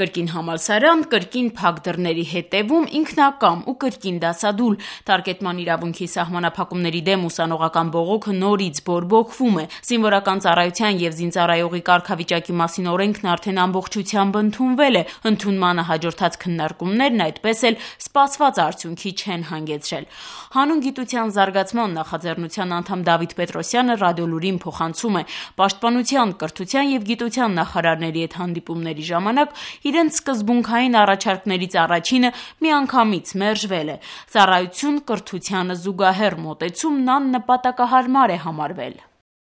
Կրկին համալսարան, կրկին փակ դռների հետևում, ինքնակամ ու կրկին դասադուլ։ Տարկետման իրավունքի սահմանափակումների դեմ ուսանողական բողոքը նորից բորբոքվում է։ Զինվորական ծառայության եւ զինծառայողի կարգավիճակի մասին օրենքն արդեն ամբողջությամբ ընդունվել է։ Ընդունմանը հաջորդած քննարկումներն այդպես էլ սպասված արդյունքի չեն հանգեցրել։ Հանուն գիտության զարգացման նախաձեռնության անդամ Դավիթ Պետրոսյանը Ռադիոլուրին փոխանցում է. Պաշտպանության, կրթության եւ գիտության նախարարների հետ հանդիպումների ժամանակ իրենց սկզբունքային առաջարկներից առաջինը միանգամից մերժվել է։ Ծառայություն կրթությանը զուգահեռ մոտեցումն աննպատակահարմար է համարվել։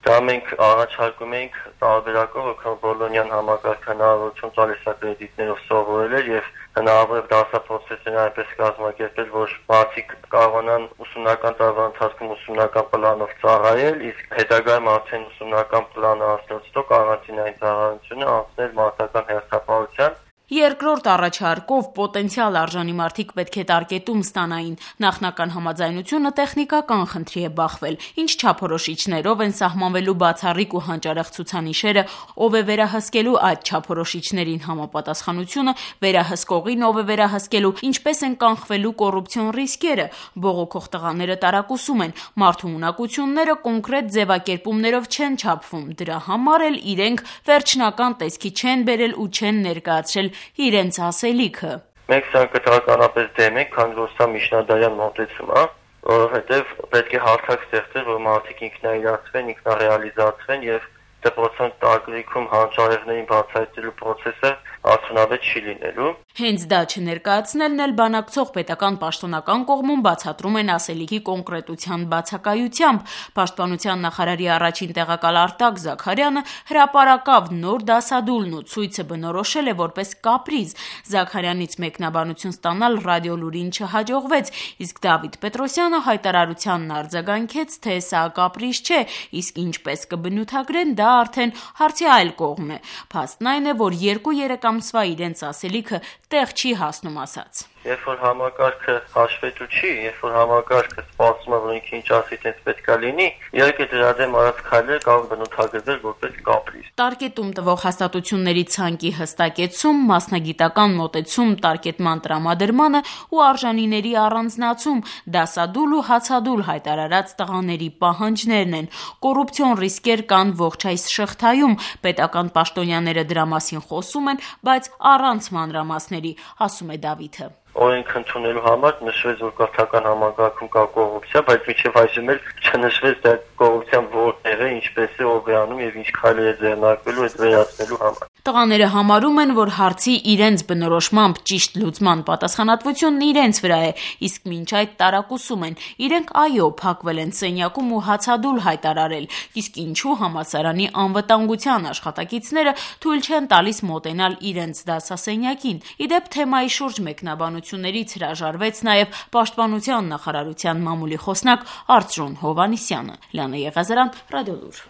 Դա մենք առաջարկում ենք տարբերակով, որքան Բոլոնյան համակարգը հնարավորություն տալիս է կրեդիտներով սովորել էր եւ հնարավոր է դասապրոցեսները այնպես կազմակերպել, որ մարդիկ կարողանան ուսումնական տարվա ընթացքում ուսումնական պլանով ծառայել, իսկ հետագայում արդեն ուսումնական պլանը հասնելուց հետո կարանտինային ծառայությունը անցնել մարտական հերթապահության։ Երկրորդ առաջարկով պոտենցիալ արժանի մարդիկ պետք է տարկետում ստանային։ Նախնական համաձայնությունը տեխնիկական խնդրի է բախվել, ինչ չափորոշիչներով են սահմանվելու բացառիկ ու հանճարեղ ցուցանիշերը, ով է վերահսկելու այդ չափորոշիչներին համապատասխանությունը, վերահսկողին ով է վերահսկելու, ինչպես են կանխվելու կոռուպցիոն ռիսկերը։ Բողոքող տղաները տարակուսում են, մարդու ունակությունները կոնկրետ ձևակերպումներով չեն չափվում, դրա համար էլ իրենք վերջնական տեսքի չեն բերել ու չեն ներկայացրել իրենց ասելիքը։ Մենք սա կտրականապես դեմ ենք, քանի որ սա միջնադարյան մոտեցում է, որովհետև պետք է հարթակ ստեղծել, որ մարդիկ ինքնաիրացվեն, ինքնարեալիզացվեն եւ դպրոցական տարբերակում հանճարեղներին բացահայտելու process-ը արդյունավետ չի լինելու։ Հենց դա չներկայացնելն էլ բանակցող պետական պաշտոնական կողմում բացատրում են ասելիքի կոնկրետության բացակայությամբ։ Պաշտպանության նախարարի առաջին տեղակալ Արտակ Զաքարյանը հրապարակավ նոր դասադուլն ու ցույցը բնորոշել է որպես կապրիզ։ Զաքարյանից մեկնաբանություն ստանալ Ռադիոլուրին չհաջողվեց, իսկ Դավիթ Պետրոսյանը հայտարարությանն արձագանքեց, թե սա կապրիզ չէ, իսկ ինչպես կբնութագրեն, դա արդեն հարցի այլ կողմն է։ Փաստն այն է, որ 2-3 ամսվա իրենց ասելիքը տեղ չի հասնում ասած։ Երբ որ համակարգը հաշվետու չի, երբ որ համակարգը սպասում է, որ ինքը ինչ ասի, տենց պետքա լինի, իհարկե դրա դեմ արած քայլերը կարող բնութագրվել որպես կապրիզ։ Տարկետում տվող հաստատությունների ցանկի հստակեցում, մասնագիտական մոտեցում տարկետման տրամադրմանը ու արժանիների առանձնացում, դասադուլ ու հացադուլ հայտարարած տղաների պահանջներն են։ Կոռուպցիոն ռիսկեր կան ողջ այս շղթայում, պետական պաշտոնյաները դրա մասին խոսում են, բայց առանց մանրամասների, ասում է Դավիթը։ Օրենք ընդունելու համար նշվեց, որ կրթական համակարգում կա կոռուպցիա, բայց մինչև այսօր էլ չնշվեց դա կոռուպցիան որտեղ է, ինչպես է, ով է անում եւ ինչ քայլեր է ձեռնարկվելու այդ վերացնելու համար։ Տղաները համարում են, որ հարցի իրենց բնորոշմամբ ճիշտ լուծման պատասխանատվությունն իրենց վրա է, իսկ մինչ այդ տարակուսում են։ Իրենք այո, փակվել են սենյակում ու հացադուլ հայտարարել, իսկ ինչու համալսարանի անվտանգության աշխատակիցները թույլ չեն տալիս մոտենալ իրենց դասասենյակին։ Իդեպ թեմայի շուրջ մեկնաբանություններից հրաժարվեց նաև Պաշտպանության նախարարության մամուլի խոսնակ Արծրուն Հովհաննիսյանը։ Լիանա Եղիազարյան, Ռադիոլուր։